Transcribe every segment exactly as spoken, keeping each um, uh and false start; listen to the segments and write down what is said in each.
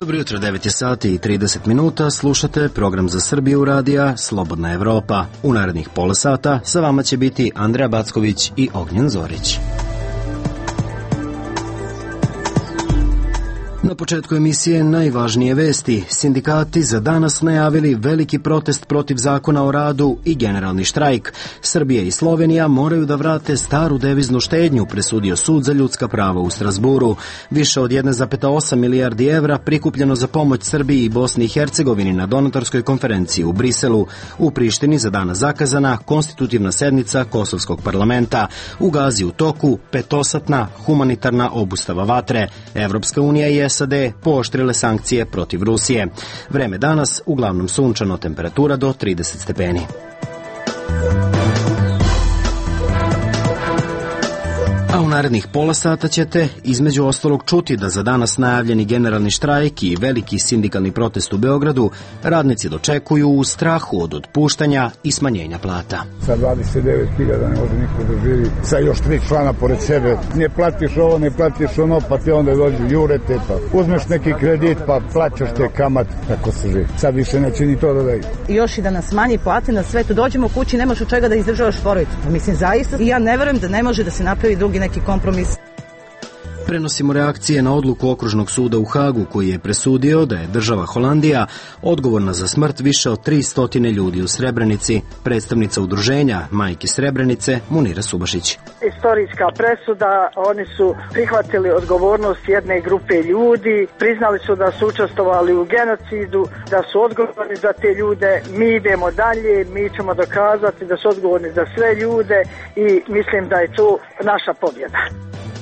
Dobro jutro, devet je sati i trideset minuta, slušate program za Srbiju radija Slobodna Evropa. U narednih pola sata sa vama će biti Andreja Backović i Ognjen Zorić. Na početku emisije najvažnije vesti. Sindikati za danas najavili veliki protest protiv zakona o radu i generalni štrajk. Srbija i Slovenija moraju da vrate staru deviznu štednju, presudio Sud za ljudska prava u Strazburu. Više od jedan zarez osam milijardi evra prikupljeno za pomoć Srbiji i Bosni i Hercegovini na donatorskoj konferenciji u Briselu. U Prištini za danas zakazana konstitutivna sednica Kosovskog parlamenta. U Gazi u toku petosatna humanitarna obustava vatre. Evropska unija je S A D pooštrile sankcije protiv Rusije. Vreme danas uglavnom sunčano, temperatura do trideset stepeni. A u narednih pola sata ćete između ostalog čuti da za danas najavljeni generalni štrajk i veliki sindikalni protest u Beogradu radnici dočekuju u strahu od otpuštanja i smanjenja plata. Sa dvadeset devet hiljada ne može niko da živi, sa još tri člana pored sebe. Ne platiš ovo, ne platiš ono, pa ti onda dođu jurete, pa uzmeš neki kredit, pa plaćaš te kamat, tako se živi. Sad više neće ni to da daju. Još i da nas smanji plate na svetu, dođemo kući, nemaš od čega da izdržavaš porodicu. Mislim, zaista, i ja ne verujem da ne može da se napravi drugi neki kompromis. Prenosimo reakcije na odluku Okružnog suda u Hagu, koji je presudio da je država Holandija odgovorna za smrt više od tristo ljudi u Srebrenici. Predstavnica udruženja Majke Srebrenice Munira Subašić. Istorijska presuda, oni su prihvatili odgovornost jedne grupe ljudi, priznali su da su učestvovali u genocidu, da su odgovorni za te ljude. Mi idemo dalje, mi ćemo dokazati da su odgovorni za sve ljude i mislim da je to naša pobjeda.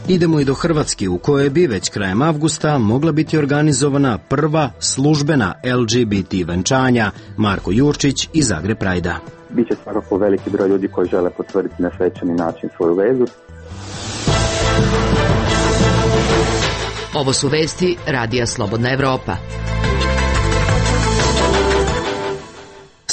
Idemo i do Hrvatske, u kojoj bi već krajem avgusta mogla biti organizovana prva službena L G B T venčanja. Marko Jurčić iz Zagreb Prajda. Biće svakako veliki broj ljudi koji žele potvrditi na svečani način svoju vezu. Ovo su vesti Radija Slobodna Evropa.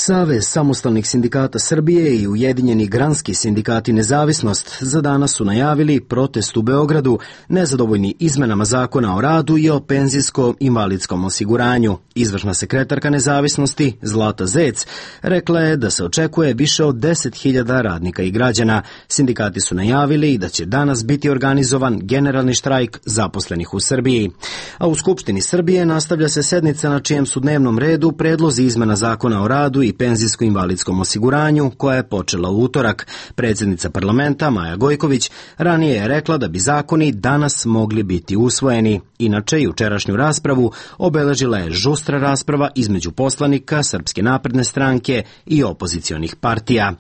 Savez samostalnih sindikata Srbije i Ujedinjeni granski sindikati Nezavisnost za danas su najavili protest u Beogradu nezadovoljni izmenama zakona o radu i o penzijsko-invalidskom osiguranju. Izvršna sekretarka Nezavisnosti Zlata Zec rekla je da se očekuje više od deset hiljada radnika i građana. Sindikati su najavili da će danas biti organizovan generalni štrajk zaposlenih u Srbiji. A u Skupštini Srbije nastavlja se sednica na čijem su dnevnom redu predlozi izmena zakona o radu i penzijsko-invalidskom osiguranju, koja je počela u utorak. Predsjednica parlamenta Maja Gojković ranije je rekla da bi zakoni danas mogli biti usvojeni. Inače, jučerašnju raspravu obeležila je žustra rasprava između poslanika Srpske napredne stranke i opozicionih partija.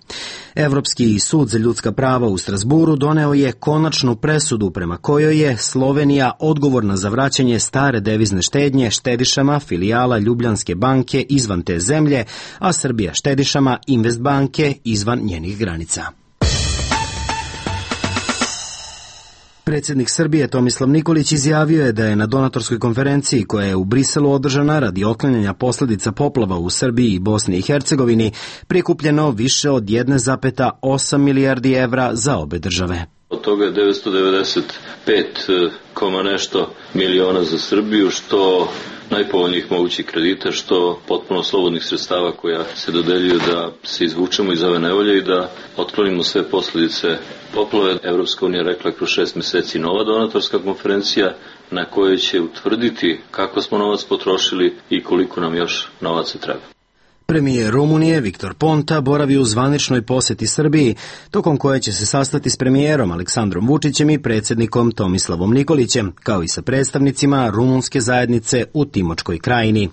Evropski sud za ljudska prava u Strazburu doneo je konačnu presudu prema kojoj je Slovenija odgovorna za vraćanje stare devizne štednje štedišama filijala Ljubljanske banke izvan te zemlje, a Srbija štedišama Investbanke izvan njenih granica. Predsjednik Srbije Tomislav Nikolić izjavio je da je na donatorskoj konferenciji koja je u Briselu održana radi otklanjanja posljedica poplava u Srbiji i Bosni i Hercegovini prikupljeno više od jedan zarez osam milijardi evra za obe države. Od toga je devetsto devedeset pet koma nešto miliona za Srbiju, što najpovoljnijih mogućih kredita, što potpuno slobodnih sredstava koja se dodeljuju da se izvučemo iz ove nevolje i da otklonimo sve posljedice poplave. Evropska unija rekla kroz šest mjeseci nova donatorska konferencija na kojoj će utvrditi kako smo novac potrošili i koliko nam još novaca treba. Premijer Rumunije Viktor Ponta boravi u zvaničnoj posjeti Srbiji, tokom koje će se sastati s premijerom Aleksandrom Vučićem i predsjednikom Tomislavom Nikolićem, kao i sa predstavnicima rumunske zajednice u Timočkoj krajini.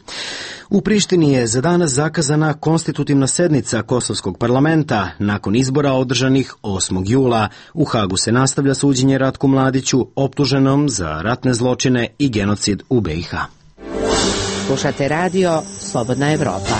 U Prištini je za danas zakazana konstitutivna sednica Kosovskog parlamenta nakon izbora održanih osmog jula. U Hagu se nastavlja suđenje Ratku Mladiću, optuženom za ratne zločine i genocid u B i H. Slušate radio Slobodna Evropa.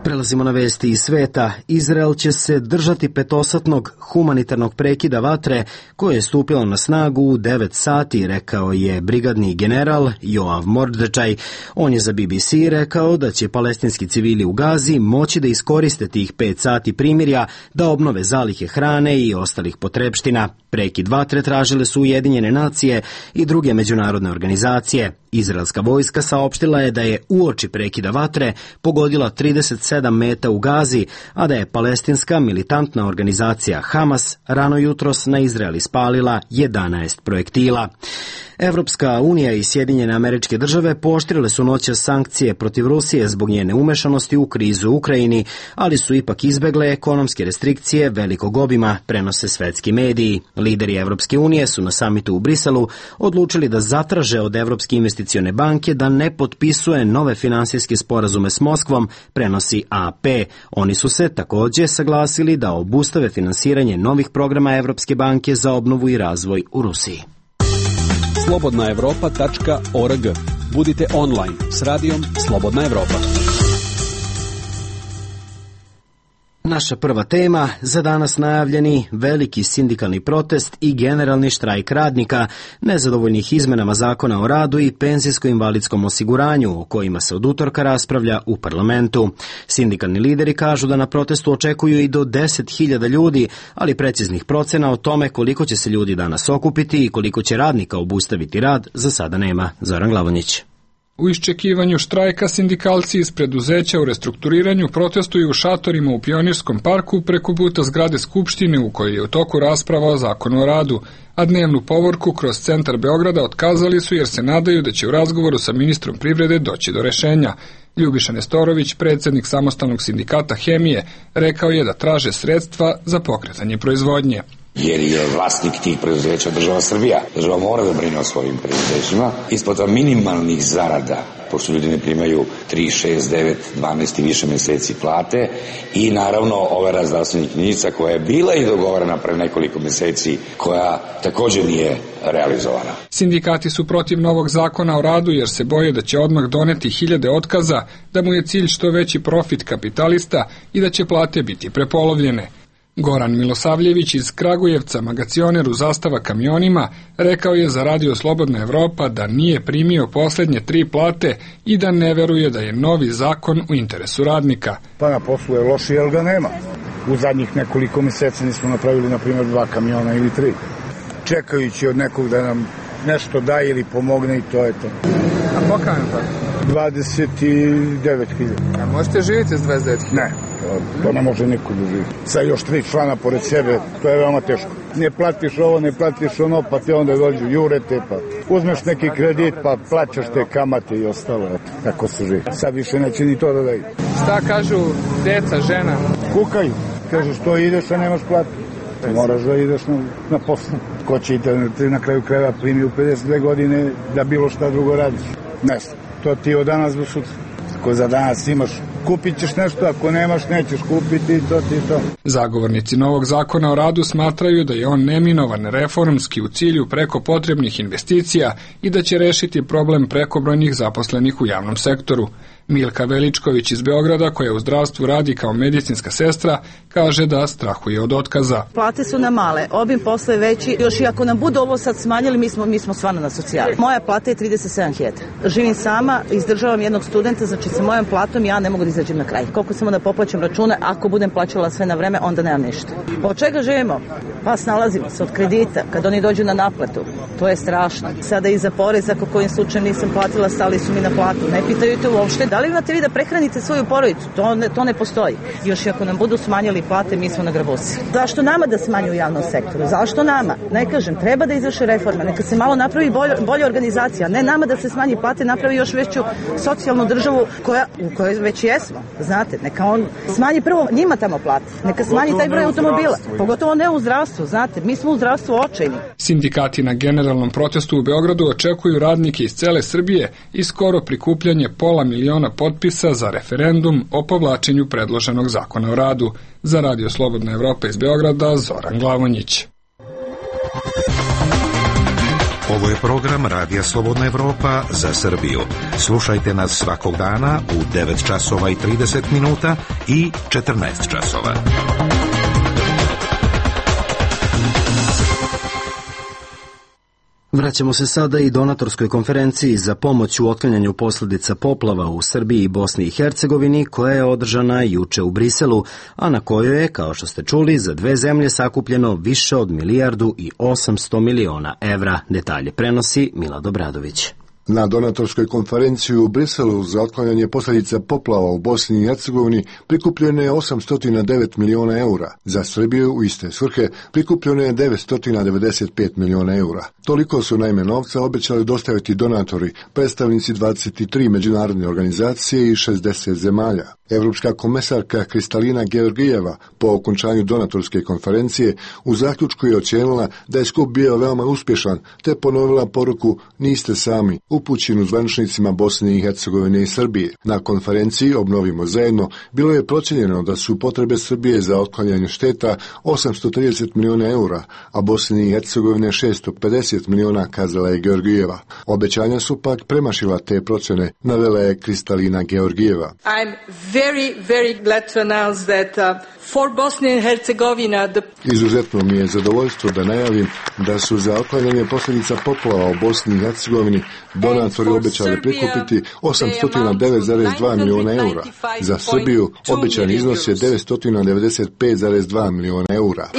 Prelazimo na vesti iz sveta. Izrael će se držati petosatnog humanitarnog prekida vatre koje je stupilo na snagu u devet sati, rekao je brigadni general Joav Mordečaj. On je za B B C rekao da će palestinski civili u Gazi moći da iskoriste tih pet sati primirja da obnove zalihe hrane i ostalih potrepština. Prekid vatre tražile su Ujedinjene nacije i druge međunarodne organizacije. Izraelska vojska saopštila je da je uoči prekida vatre pogodila trideset sedam meta u Gazi, a da je palestinska militantna organizacija Hamas rano jutros na Izrael ispalila jedanaest projektila. Evropska unija i Sjedinjene Američke Države pooštrile su noćas sankcije protiv Rusije zbog njene umešanosti u krizu u Ukrajini, ali su ipak izbegle ekonomske restrikcije velikog obima, prenose svetski mediji. Lideri Evropske unije su na samitu u Briselu odlučili da zatraže od Evropske investicione banke da ne potpisuje nove finansijske sporazume s Moskvom, prenosi A P. Oni su se također saglasili da obustave finansiranje novih programa Evropske banke za obnovu i razvoj u Rusiji. slobodna evropa tačka org. Budite online s radijom Slobodna Evropa. Naša prva tema, za danas najavljeni veliki sindikalni protest i generalni štrajk radnika, nezadovoljnih izmenama zakona o radu i penzijsko-invalidskom osiguranju, o kojima se od utorka raspravlja u parlamentu. Sindikalni lideri kažu da na protestu očekuju i do deset hiljada ljudi, ali preciznih procena o tome koliko će se ljudi danas okupiti i koliko će radnika obustaviti rad za sada nema. Zoran Glavonjić. U iščekivanju štrajka sindikalci iz preduzeća u restrukturiranju protestuju u šatorima u Pionirskom parku preko puta zgrade Skupštine u kojoj je u toku rasprava o zakonu o radu, a dnevnu povorku kroz centar Beograda otkazali su jer se nadaju da će u razgovoru sa ministrom privrede doći do rešenja. Ljubiša Nestorović, predsjednik samostalnog sindikata Hemije, rekao je da traže sredstva za pokretanje proizvodnje. Jer je vlasnik tih preduzeća država Srbija. Država mora da brine o svojim preduzećima. Isplata minimalnih zarada, pošto ljudi ne primaju tri, šest, devet, dvanaest i više meseci plate, i naravno overa zdravstvenih knjižica koja je bila i dogovorena pre nekoliko meseci, koja također nije realizovana. Sindikati su protiv novog zakona o radu jer se boje da će odmah doneti hiljade otkaza, da mu je cilj što veći profit kapitalista i da će plate biti prepolovljene. Goran Milosavljević iz Kragujevca, magacioner u Zastava kamionima, rekao je za Radio Slobodna Evropa da nije primio posljednje tri plate i da ne veruje da je novi zakon u interesu radnika. Pa na poslu je loši, jer ga nema. U zadnjih nekoliko mjeseci nismo napravili, na primjer, dva kamiona ili tri. Čekajući od nekog da nam nešto daje ili pomogne, i to je to. A koliko je to? dvadeset devet hiljada. A možete živjeti s dvadeset devet hiljada? Ne, to, to ne može niko da živi. Sa još tri člana pored sebe, to je veoma teško. Ne platiš ovo, ne platiš ono, pa te onda dođu jurete, pa uzmeš neki kredit, pa plaćaš te kamate i ostalo. Eto, tako se živi. Sad više neće ni to da daju. Šta kažu deca, žena? Kukaju. Kažu što ideš, a nemaš platu. Moraš da ideš na, na poslu. Ko će i te na kraju krajeva primi u pedeset dve godine da bilo šta drugo radiš? Ne znam. To ti od danas do sutra. Ako za danas imaš, kupit ćeš nešto, ako nemaš, nećeš kupiti, to ti to. Zagovornici novog zakona o radu smatraju da je on neminovan reformski u cilju preko potrebnih investicija i da će rešiti problem prekobrojnih zaposlenih u javnom sektoru. Milka Veličković iz Beograda, koja u zdravstvu radi kao medicinska sestra, kaže da strahuje od otkaza. Plate su nam male, obim posla je veći, još i ako nam budu ovo sad smanjili, mi smo, mi smo stvarno na socijali. Moja plata je trideset sedam hiljada. Živim sama, izdržavam jednog studenta, znači sa mojom platom ja ne mogu da izađem na kraj. Koliko samo da poplaćam račune, ako budem plaćala sve na vreme, onda nemam ništa. Od čega živimo? Pa snalazimo se od kredita, kad oni dođu na naplatu. To je strašno. Sada i za porez, ako kojim slučajem nisam platila, stali su mi na platu. Ne pitaju te uopšte da li imate vi da prehranite svoju porodicu. To ne, to ne postoji. Još i ako nam budu smanjili plate, mi smo na grabusi. Zašto nama da smanju u javnom sektoru? Zašto nama? Ne kažem, treba da izvrše reforme. Neka se malo napravi bolja, bolja organizacija. Ne nama da se smanji plate, napravi još veću socijalnu državu koja, u kojoj već jesmo. Znate, neka on smanji prvo njima tamo plate. Neka smanji taj broj automobila. Pogotovo ne u zdravstvu, znate. Mi smo u zdravstvu očajni. Sindikati na generalnom protestu u Beogradu očekuju radnike iz cele Srbije i skoro prikupljanje pola miliona potpisa za referendum o povlačenju predloženog zakona o radu. Za Radio Slobodna Evropa iz Beograda, Zoran Glavonjić. Ovo je program Radija Slobodna Evropa za Srbiju. Slušajte nas svakog dana u devet časova i trideset minuta i četrnaest časova. Vraćamo se sada i donatorskoj konferenciji za pomoć u otklanjanju posljedica poplava u Srbiji i Bosni i Hercegovini, koja je održana juče u Briselu, a na kojoj je, kao što ste čuli, za dve zemlje sakupljeno više od milijardu i osamsto miliona evra. Detalje prenosi Milad Obradović. Na donatorskoj konferenciji u Briselu za otklanjanje posljedica poplava u Bosni i Hercegovini prikupljeno je osamsto devet miliona eura. Za Srbiju u iste svrhe prikupljeno je devetsto devedeset pet miliona eura. Toliko su naime novca obećali dostaviti donatori, predstavnici dvadeset tri međunarodne organizacije i šezdeset zemalja. Evropska komesarka Kristalina Georgijeva po okončanju donatorske konferencije u zaključku je ocijenila da je skup bio veoma uspješan, te ponovila poruku "Niste sami", upućenu zvaničnicima Bosne i Hercegovine i Srbije. Na konferenciji Obnovimo zajedno bilo je procijenjeno da su potrebe Srbije za otklanjanje šteta osamsto trideset miliona eura, a Bosne i Hercegovine šesto pedeset miliona, kazala je Georgijeva. Obećanja su pak premašila te procjene, navela je Kristalina Georgijeva. I'm very, very glad to announce that uh, for Bosnia and Herzegovina the... Izuzetno mi je zadovoljstvo da najavim da su za otklanjanje posljedica poplava u Bosni i Hercegovini donatori obećali prikupiti osamsto devet zarez dva miliona eura. Za Srbiju obećan iznos je devetsto devedeset pet zarez dva miliona eura.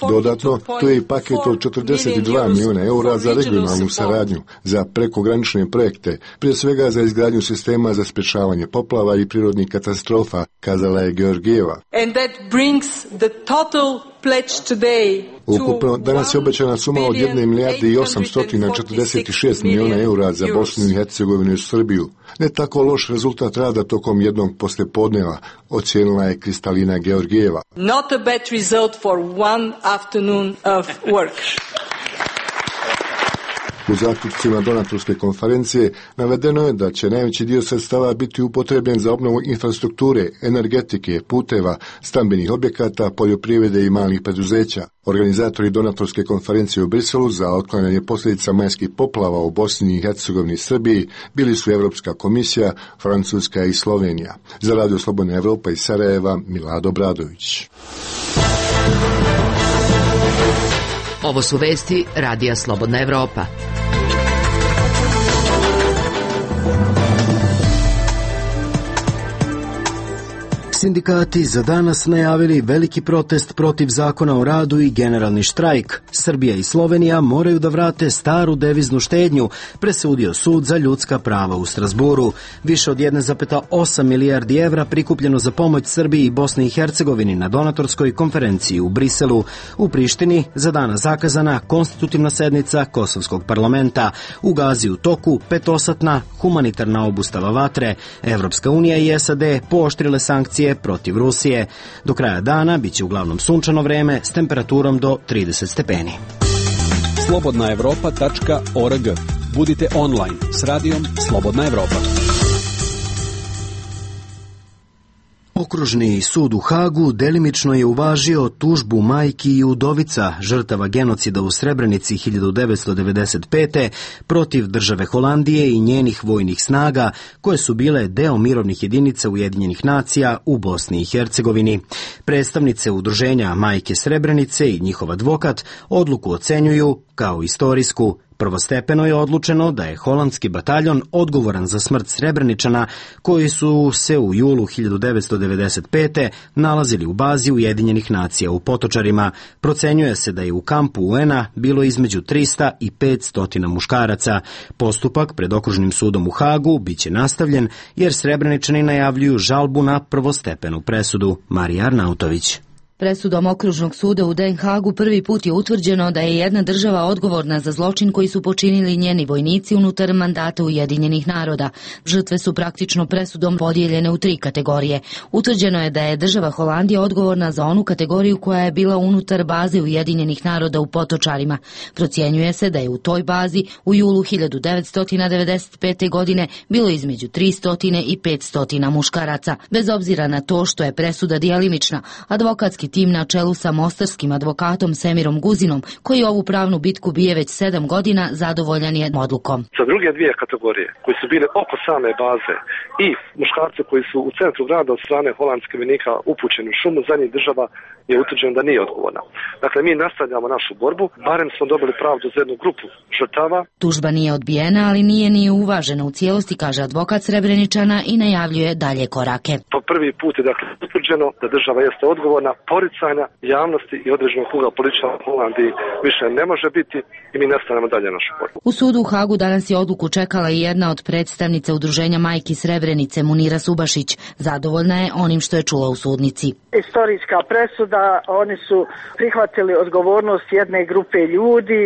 Dodatno, tu je i paket od četrdeset dva miliona eura za regionalnu saradnju, za prekogranične projekte, prije svega za izgradnju sistema za sprječavanje poplava i prirodnih katastrofa, kazala je Georgijeva. And that brings the total pledge today. Ukupno, danas je obećana suma od jedne milijarde i osamsto četrdeset šest miliona eura za Bosnu i Hercegovinu i Srbiju. Ne tako loš rezultat rada tokom jednog poslijepodneva, ocijenila je Kristalina Georgijeva. Not a bad result for one afternoon of work. U zaključcima donatorske konferencije navedeno je da će najveći dio sredstava biti upotrebljen za obnovu infrastrukture, energetike, puteva, stambenih objekata, poljoprivrede i malih preduzeća. Organizatori donatorske konferencije u Briselu za otklanjanje posljedica majskih poplava u Bosni i Hercegovini i Srbiji bili su Evropska komisija, Francuska i Slovenija. Za Radio Slobodna Evropa iz Sarajeva, Milad Obradović. Ovo su vesti Radija Slobodna Evropa. Sindikati za danas najavili veliki protest protiv zakona o radu i generalni štrajk. Srbija i Slovenija moraju da vrate staru deviznu štednju, presudio sud za ljudska prava u Strasburu. Više od jedna zarez osam milijardi evra prikupljeno za pomoć Srbiji i Bosni i Hercegovini na donatorskoj konferenciji u Briselu. U Prištini za danas zakazana konstitutivna sednica Kosovskog parlamenta. U Gazi u toku petosatna humanitarna obustava vatre. Evropska unija i S A D pooštrile sankcije protiv Rusije. Do kraja dana biće uglavnom sunčano vreme s temperaturom do trideset stepeni. slobodna evropa tačka org. Budite online s radijom Slobodna Evropa. Okružni sud u Hagu delimično je uvažio tužbu majki i udovica žrtava genocida u Srebrenici hiljadu devetsto devedeset pete. protiv države Holandije i njenih vojnih snaga, koje su bile deo mirovnih jedinica Ujedinjenih nacija u Bosni i Hercegovini. Predstavnice udruženja Majke Srebrenice i njihov advokat odluku ocenjuju kao istorijsku. Prvostepeno je odlučeno da je holandski bataljon odgovoran za smrt Srebreničana koji su se u julu hiljadu devetsto devedeset pete. nalazili u bazi Ujedinjenih nacija u Potočarima. Procenjuje se da je u kampu U N A bilo između trista i petsto muškaraca. Postupak pred okružnim sudom u Hagu biće nastavljen jer Srebreničani najavljuju žalbu na prvostepenu presudu. Marija Arnautović. Presudom okružnog suda u Den Hagu prvi put je utvrđeno da je jedna država odgovorna za zločin koji su počinili njeni vojnici unutar mandata Ujedinjenih naroda. Žrtve su praktično presudom podijeljene u tri kategorije. Utvrđeno je da je država Holandija odgovorna za onu kategoriju koja je bila unutar baze Ujedinjenih naroda u Potočarima. Procjenjuje se da je u toj bazi u julu hiljadu devetsto devedeset pete. godine bilo između tristo i petsto muškaraca. Bez obzira na to što je presuda dijelimična, advokatski advokatski tim na čelu sa mostarskim advokatom Semirom Guzinom, koji ovu pravnu bitku bije već sedam godina, zadovoljan je odlukom. Za druge dvije kategorije koji su bile oko same baze i muškarce koji su u centru grada od strane holandske vojnika upućeni u šumu, za njih država je utvrđeno da nije odgovorna. Dakle, mi nastavljamo našu borbu, barem smo dobili pravdu za jednu grupu žrtava. Tužba nije odbijena, ali nije ni uvažena u cijelosti, kaže advokat Srebreničana i najavljuje dalje korake. Po prvi put je dakle utvrđeno da država jeste odgovorna, poricanja javnosti i određenog kruga političara u Holandiji više ne može biti i mi nastavljamo dalje našu borbu. U sudu u Hagu danas je odluku čekala i jedna od predstavnica udruženja Majki Srebrenice, Munira Subašić. Zadovoljna je onim što je čula u sudnici. Istorijska presuda, oni su prihvatili odgovornost jedne grupe ljudi,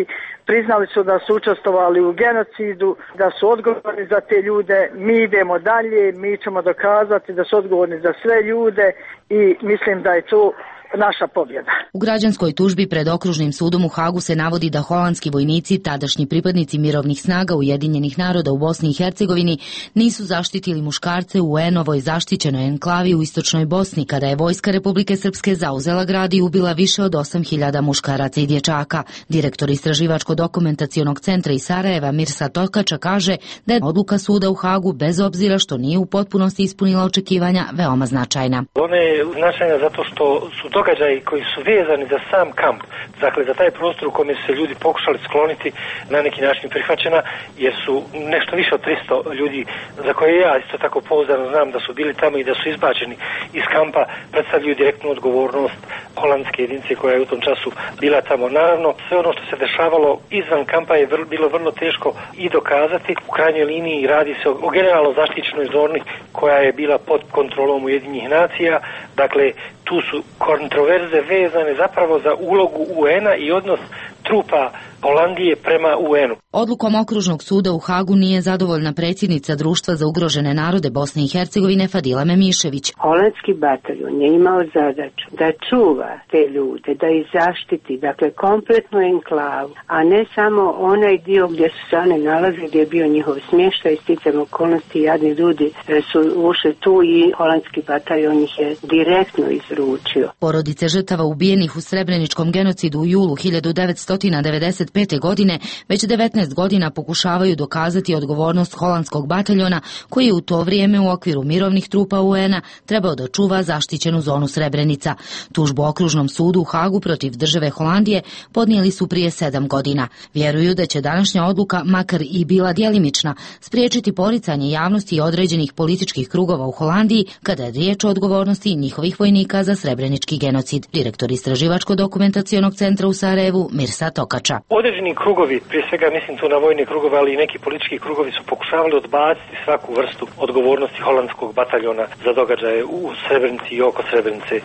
priznali su da su učestvovali u genocidu, da su odgovorni za te ljude, mi idemo dalje, mi ćemo dokazati da su odgovorni za sve ljude i mislim da je to naša pobjeda. U građanskoj tužbi pred okružnim sudom u Hagu se navodi da holandski vojnici, tadašnji pripadnici mirovnih snaga Ujedinjenih naroda u Bosni i Hercegovini, nisu zaštitili muškarce u U N-ovoj zaštićenoj enklavi u istočnoj Bosni, kada je vojska Republike Srpske zauzela grad i ubila više od osam hiljada muškaraca i dječaka. Direktor Istraživačko-dokumentacionog centra iz Sarajeva Mirsa Tokača kaže da je odluka suda u Hagu, bez obzira što nije u potpunosti ispunila očekivanja, veoma značajna. Ona je značajna zato što su događaji koji su vezani za sam kamp, dakle za taj prostor u kome su se ljudi pokušali skloniti, na neki način prihvaćena, jer su nešto više od tristo ljudi, za koje ja isto tako pouzdano znam da su bili tamo i da su izbačeni iz kampa, predstavljaju direktnu odgovornost holandske jedinice koja je u tom času bila tamo. Naravno, sve ono što se dešavalo izvan kampa je vrlo, bilo vrlo teško i dokazati. U krajnjoj liniji radi se o, o generalno zaštićenoj zoni koja je bila pod kontrolom Ujedinjenih nacija, dakle tu su kontroverze vezane zapravo za ulogu U N-a i odnos trupa Holandije prema U N-u. Odlukom okružnog suda u Hagu nije zadovoljna predsjednica Društva za ugrožene narode Bosne i Hercegovine Fadila Memišević. Holandski bataljon je imao zadaću da čuva te ljude, da ih zaštiti, dakle kompletnu enklavu, a ne samo onaj dio gdje su se one nalazili, gdje je bio njihov smještaj, sticam okolnosti, jadni ljudi su ušli tu i holandski bataljon ih je direktno izručio. Porodice žrtava ubijenih u Srebreničkom genocidu u julu hiljadu devetsto devedeset pete. godine već devetnaest godina pokušavaju dokazati odgovornost holandskog bataljona, koji je u to vrijeme u okviru mirovnih trupa U N-a trebao da čuva zaštićenu zonu Srebrenica. Tužbu okružnom sudu u Hagu protiv države Holandije podnijeli su prije sedam godina. Vjeruju da će današnja odluka, makar i bila djelimična, spriječiti poricanje javnosti i određenih političkih krugova u Holandiji kada je riječ o odgovornosti njihovih vojnika za srebrenički genocid. Direktor Istraživačko-dokumentacionog centra u Sarajevu Mirsa Tokača. Određeni krugovi, prije svega mislim tu na vojne krugove, ali i neki politički krugovi su pokušavali odbaciti svaku vrstu odgovornosti holandskog bataljona za događaje u Srebrenici i oko Srebrenice.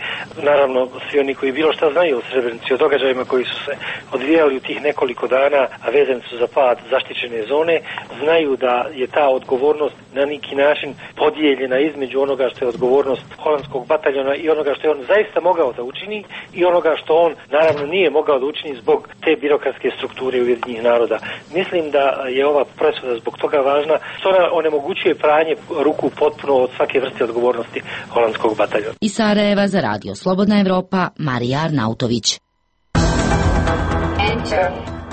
Naravno, svi oni koji bilo šta znaju o Srebrenici, o događajima koji su se odvijali u tih nekoliko dana, a vezani su za pad zaštićene zone, znaju da je ta odgovornost na neki način podijeljena između onoga što je odgovornost holandskog bataljona i onoga što je on zaista mogao da učini i onoga što on naravno nije mogao da učini zbog te birokratske strukture Ujedinjenih naroda. Mislim da je ova presuda zbog toga važna, što ona onemogućuje pranje ruku potpuno od svake vrste odgovornosti holandskog bataljona. Iz Sarajeva za radio Slobodna Evropa, Marija Arnautović.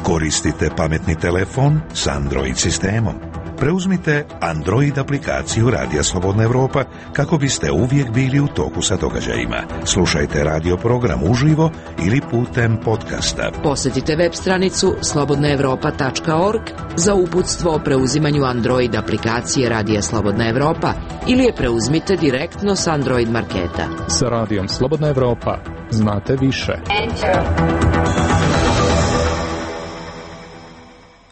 Koristite pametni telefon s Android sistemom. Preuzmite Android aplikaciju Radija Slobodna Evropa kako biste uvijek bili u toku sa događajima. Slušajte radio program uživo ili putem podcasta. Posjetite web stranicu slobodna evropa tačka org za uputstvo o preuzimanju Android aplikacije Radija Slobodna Evropa ili je preuzmite direktno s Android marketa. Sa Radijom Slobodna Evropa znate više.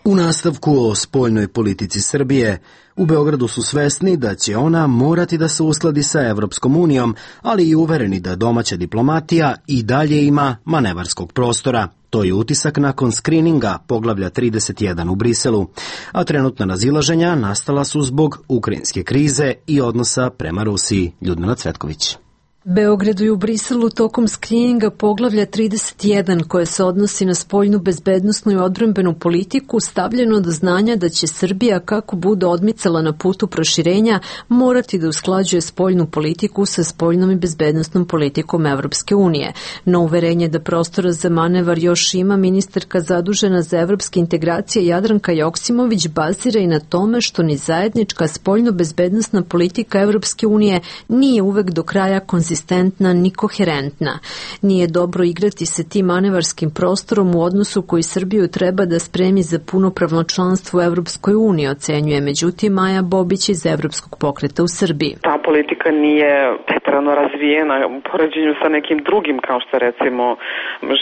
U nastavku o spoljnoj politici Srbije, u Beogradu su svesni da će ona morati da se uskladi sa Evropskom unijom, ali i uvereni da domaća diplomatija i dalje ima manevarskog prostora. To je utisak nakon skrininga poglavlja trideset jedan u Briselu, a trenutna razilaženja nastala su zbog ukrajinske krize i odnosa prema Rusiji. Ljudmila Cvetković. Beogradu i u Briselu tokom skrininga poglavlja trideset jedan koje se odnosi na spoljnu bezbednosnu i odbrambenu politiku stavljeno do znanja da će Srbija, kako bude odmicala na putu proširenja, morati da usklađuje spoljnu politiku sa spoljnom i bezbednosnom politikom Evropske unije. No uverenje da prostora za manevar još ima, ministarka zadužena za evropske integracije Jadranka Joksimović bazira i na tome što ni zajednička spoljno-bezbednosna politika Evropske unije nije uvek do kraja konzistentna ni koherentna. Nije dobro igrati se tim manevarskim prostorom u odnosu koji Srbiju treba da spremi za punopravno članstvo u Evropskoj uniji, ocenjuje međutim Maja Bobić iz Evropskog pokreta u Srbiji. Ta politika nije preterano razvijena u poređenju sa nekim drugim, kao što recimo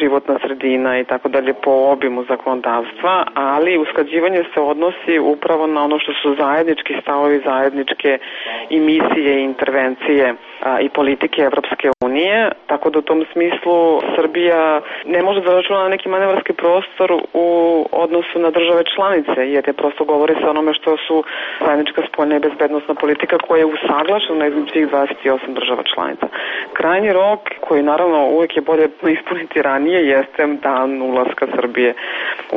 životna sredina i tako dalje po obimu zakonodavstva, ali usklađivanje se odnosi upravo na ono što su zajednički stavovi, zajedničke i misije i intervencije a, i politike Evropske unije, tako da u tom smislu Srbija ne može da računa na neki manevarski prostor u odnosu na države članice, jer je prosto govori se onome što su zajednička spoljna i bezbednosna politika koja je usaglašena između svih dvadeset osam država članica. Krajnji rok, koji naravno uvek je bolje ispuniti ranije, jeste dan ulaska Srbije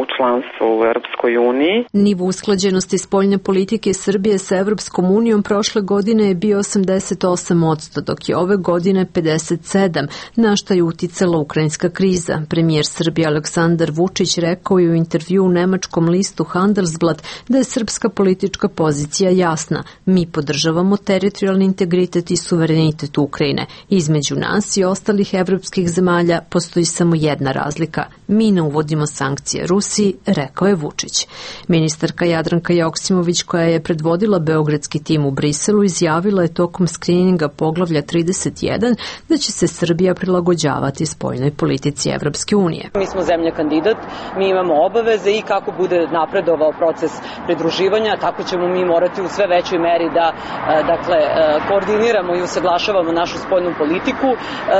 u članstvo u Evropskoj uniji. Nivo usklađenosti spoljne politike Srbije sa Evropskom unijom prošle godine je bio osamdeset osam posto, dok je ove godine pedeset sedam, na šta je uticala ukrajinska kriza. Premijer Srbije Aleksandar Vučić rekao je u intervju u nemačkom listu Handelsblatt da je srpska politička pozicija jasna. Mi podržavamo teritorijalni integritet i suverenitet Ukrajine. Između nas i ostalih evropskih zemalja postoji samo jedna razlika. Mi ne uvodimo sankcije Rusiji, rekao je Vučić. Ministarka Jadranka Joksimović, koja je predvodila beogradski tim u Briselu, izjavila je tokom skrininga poglavlja trideset jedan da će se Srbija prilagođavati spoljnoj politici Evropske unije. Mi smo zemlja kandidat, mi imamo obaveze i kako bude napredovao proces pridruživanja, tako ćemo mi morati u sve većoj meri da dakle, koordiniramo i usaglašavamo našu spoljnu politiku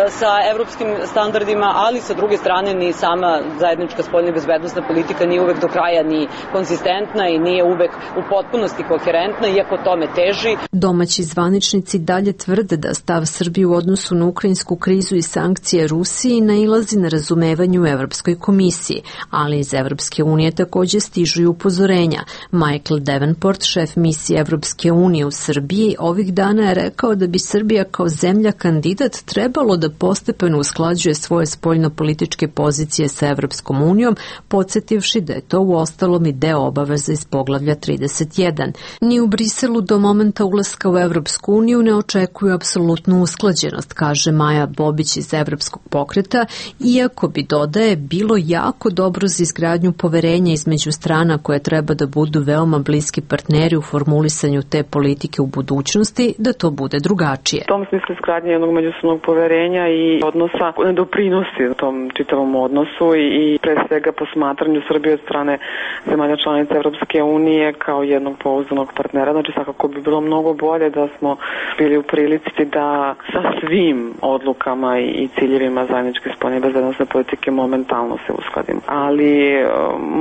sa evropskim standardima, ali sa druge strane ni sama zajednička spoljna i bezbednosna politika nije uvek do kraja ni konzistentna i nije uvek u potpunosti koherentna, iako tome teži. Domaći zvaničnici dalje tvrde da stav Srbije u odnosu na ukrajinsku krizu i sankcije Rusiji nailazi na razumevanju u Evropskoj komisiji, ali iz Evropske unije takođe stižu i upozorenja. Michael Davenport, šef misije Evropske unije u Srbiji, ovih dana je rekao da bi Srbija kao zemlja kandidat trebalo da postepeno usklađuje svoje spoljno-političke pozicije sa Evropskom unijom, podsjetivši da je to u ostalom i deo obaveza iz poglavlja trideset jedan. Ni u Briselu do momenta ulaska u Evropsku uniju ne očekuju apsolutnu usklađenost, kaže Maja Bobić iz Evropskog pokreta, iako bi, dodaje, bilo jako dobro za izgradnju poverenja između strana koje treba da budu veoma bliski partneri u formulisanju te politike u budućnosti, da to bude drugačije. U tom smislu izgradnje jednog međusobnog poverenja i odnosa ne doprinosi u tom čitavom odnosu i, i pre svega posmatranju Srbije od strane zemalja članica Evropske unije kao jednog pouzdanog partnera. Znači svakako bi bilo mnogo bolje da smo bili u prilici da sa svim odlukama i ciljevima zajedničke spoljne i bezbednosne politike momentalno se uskladimo. Ali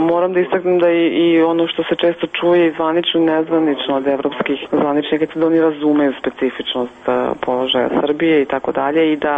moram da istaknem da i, i ono što se često čuje i zvanično i nezvanično od evropskih zvaničnika, da oni razumeju specifičnost položaja Srbije i tako dalje i da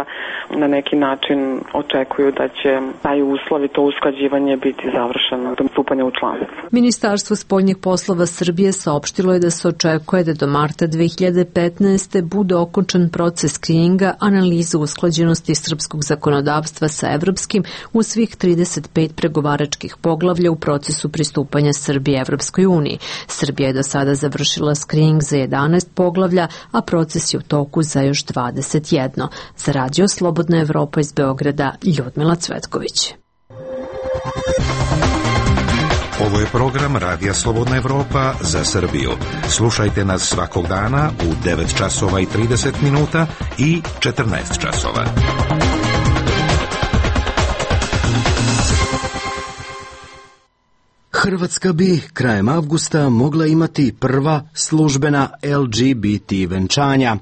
na neki način očekuju da će taj uslov i to usklađivanje biti završeno do stupanja u članstvo. Ministarstvo spoljnih poslova Srbije saopštilo je da se očekuje da do marta dve hiljade petnaeste. bude okončan proces skrininga, analiza usklađenosti srpskog zakonodavstva sa evropskim u svih trideset pet pregovaračkih poglavlja u procesu pristupanja Srbije Evropskoj uniji. Srbija je do sada završila skrining za jedanaest poglavlja, a proces je u toku za još dvadeset jedno. Za Radio Slobodna Evropa iz Beograda, Ljudmila Cvetković. Ovo je program Radija Slobodna Evropa za Srbiju. Slušajte nas svakog dana u devet časova i trideset minuta i četrnaest časova. Hrvatska bi krajem avgusta mogla imati prva službena L G B T venčanja.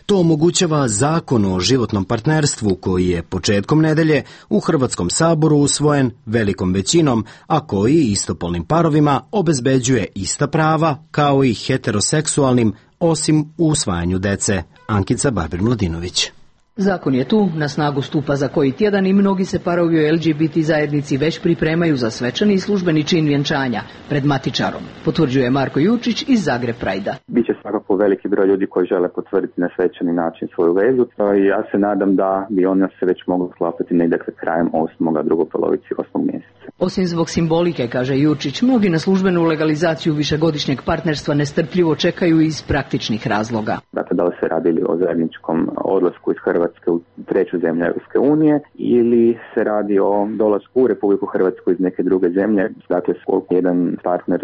To omogućava Zakon o životnom partnerstvu koji je početkom nedelje u Hrvatskom saboru usvojen velikom većinom, a koji istopolnim parovima obezbeđuje ista prava kao i heteroseksualnim, osim u usvajanju dece. Ankica Babir-Mladinović. Zakon je tu, na snagu stupa za koji tjedan i mnogi se parovi u L G B T zajednici već pripremaju za svečani i službeni čin vjenčanja pred matičarom, potvrđuje Marko Jučić iz Zagreb Prajda. Biće svakako veliki broj ljudi koji žele potvrditi na svečani način svoju vezu i ja se nadam da bi ona se već mogla sklapati negdje krajem osmog, drugoj polovici osmog mjeseca. Osim zbog simbolike, kaže Jučić, mnogi na službenu legalizaciju višegodišnjeg partnerstva nestrpljivo čekaju iz praktičnih razloga. Dakle, da li se radili o zajedničkom odlasku iz Hrvatske u treću zemlju Europske unije ili se radi o dolasku u Republiku Hrvatsku iz neke druge zemlje, dakle koliko jedan partner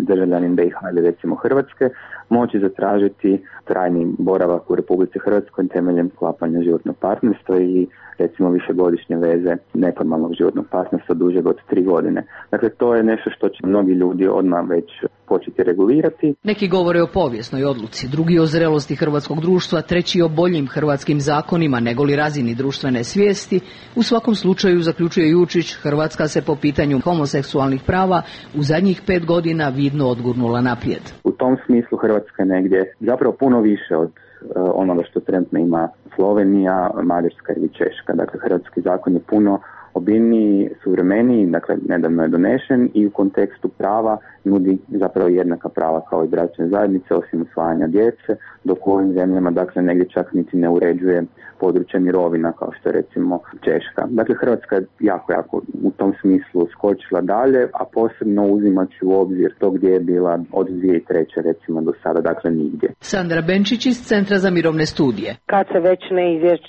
državljanin B i H ili recimo Hrvatske moći zatražiti trajni boravak u Republici Hrvatskoj temeljem sklapanja životnog partnerstva ili recimo višegodišnje veze neformalnog životnog partnerstva dužeg od tri godine. Dakle, to je nešto što će mnogi ljudi odmah već početi regulirati. Neki govore o povijesnoj odluci, drugi o zrelosti hrvatskog društva, treći o boljim hrvatskim zakonima negoli razini društvene svijesti. U svakom slučaju, zaključuje Jučić, Hrvatska se po pitanju homoseksualnih prava u zadnjih pet godina vidno odgurnula naprijed. U tom smislu Hrvatska je negdje zapravo puno više od onoga što trenutno ima Slovenija, Mađarska ili Češka. Dakle, hrvatski zakon je puno obiljniji, suvremeniji, dakle nedavno je donešen i u kontekstu prava nudi zapravo jednaka prava kao i bračne zajednice osim usvajanja djece, dok u ovim zemljama dakle negdje čak niti ne uređuje područje mirovina kao što je recimo Češka. Dakle, Hrvatska je jako, jako u tom smislu skočila dalje, a posebno uzimajući u obzir to gdje je bila od dvije tisuće treće recimo do sada, dakle nigdje. Sandra Benčić iz Centra za mirovne studije. Kad se već ne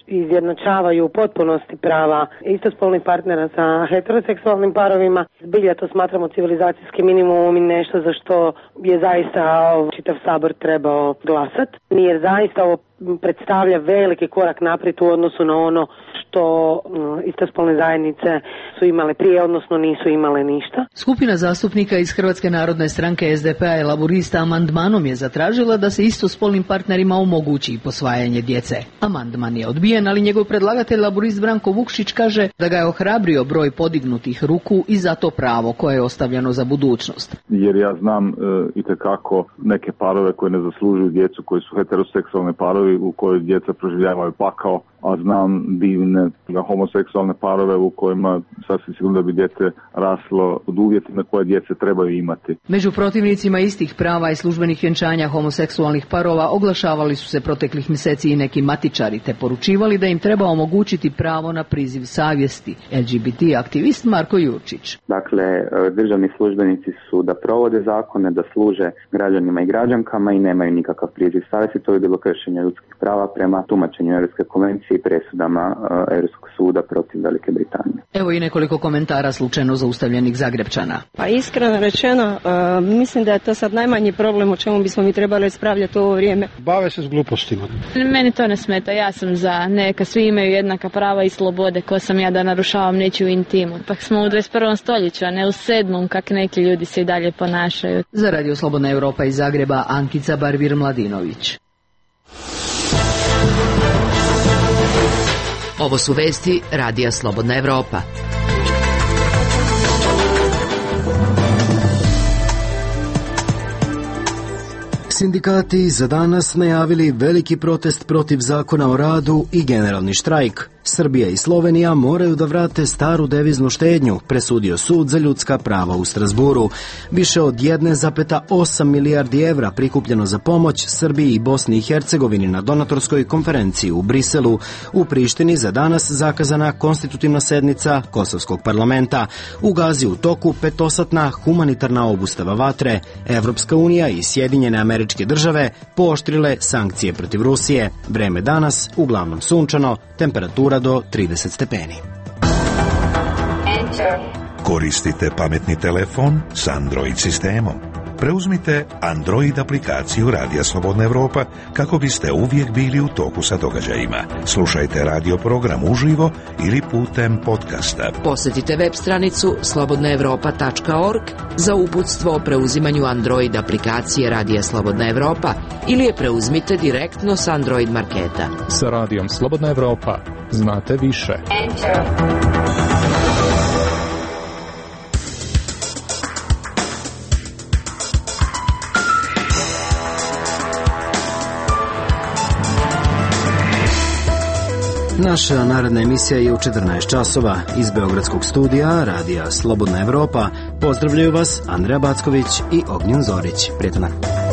izjednačavaju u potpunosti prava istospolnih partnera sa heteroseksualnim parovima, zbilja to smatramo civilizacijski minimum i nešto za što je zaista čitav sabor trebao glasati. Jer zaista ovo predstavlja veliki korak naprijed u odnosu na ono što istospolne zajednice su imale prije, odnosno nisu imale ništa. Skupina zastupnika iz Hrvatske narodne stranke S D P-a i Laburista amandmanom je zatražila da se istospolnim partnerima omogući posvajanje djece. Amandman je odbijen, ali njegov predlagatelj Laburist Branko Vukšić kaže da ga je ohrabrio broj podignutih ruku i za to pravo koje je ostavljeno za budućnost. Jer ja znam e, itekako neke parove koje ne zaslužuju djecu, koji su heteroseksualne parovi u kojoj djeca proživljavaju pakao, a znam divne homoseksualne parove u kojima sasvim sigurno da bi dijete raslo od uvjetima koje djece trebaju imati. Među protivnicima istih prava i službenih vjenčanja homoseksualnih parova oglašavali su se proteklih mjeseci i neki matičari te poručivali da im treba omogućiti pravo na priziv savjesti. L G B T aktivist Marko Jurčić. Dakle, državni službenici su da provode zakone, da služe građanima i građankama i nemaju nikakav priziv savjesti. To je bilo kršenje ljudskih prava prema tumačenju Europske konvencije i presudama uh, Europskog suda protiv Velike Britanije. Evo i nekoliko komentara slučajno zaustavljenih Zagrepčana. Pa iskreno rečeno, uh, mislim da je to sad najmanji problem o čemu bismo mi trebali raspravljati u ovo vrijeme. Bave se s glupostima. Meni to ne smeta, ja sam za neka svi imaju jednaka prava i slobode, ko sam ja da narušavam nečiju intimu. Pak smo u dvadeset prvom stoljeću, a ne u sedmom kak neki ljudi se i dalje ponašaju. Za Radio Slobodna Europa iz Zagreba, Ankica Barvir Mladinović. Ovo su vesti Radija Slobodna Evropa. Sindikati za danas najavili veliki protest protiv zakona o radu i generalni štrajk. Srbija i Slovenija moraju da vrate staru deviznu štednju, presudio sud za ljudska prava u Strasburu. Više od jedne zarez osam milijardi evra prikupljeno za pomoć Srbiji i Bosni i Hercegovini na donatorskoj konferenciji u Briselu. U Prištini za danas zakazana konstitutivna sednica Kosovskog parlamenta. U Gazi u toku petosatna humanitarna obustava vatre. Evropska unija i Sjedinjene Američke Države pooštrile sankcije protiv Rusije. Vreme danas uglavnom sunčano, temperatura do trideset stepeni. Koristite pametni telefon s Android sistemom. Preuzmite Android aplikaciju Radija Slobodna Evropa kako biste uvijek bili u toku sa događajima. Slušajte radio program uživo ili putem podcasta. Posjetite web stranicu slobodna evropa tačka org za uputstvo o preuzimanju Android aplikacije Radija Slobodna Evropa ili je preuzmite direktno s Android marketa. Sa Radijom Slobodna Evropa znate više. Naša naredna emisija je u četrnaest časova. Iz Beogradskog studija Radija Slobodna Evropa pozdravljaju vas Andreja Backović i Ognjen Zorić. Prijetan dan.